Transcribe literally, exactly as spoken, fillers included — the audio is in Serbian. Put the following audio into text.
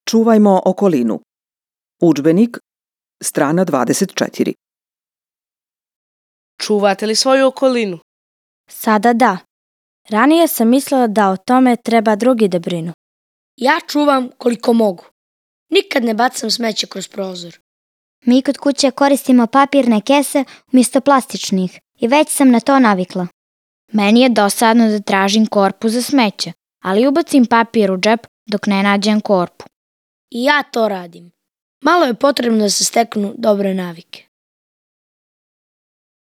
Čuvajmo okolinu. Udžbenik, strana dvadeset četiri. Čuvate li svoju okolinu? Sada da. Ranije sam mislila da o tome treba drugi da brinu. Ja čuvam koliko mogu. Nikad ne bacam smeće kroz prozor. Mi kod kuće koristimo papirne kese umjesto plastičnih i već sam na to navikla. Meni je dosadno da tražim korpu za smeće, ali ubacim papir u džep dok ne nađem korpu. I ja to radim. Malo je potrebno da se steknu dobre navike.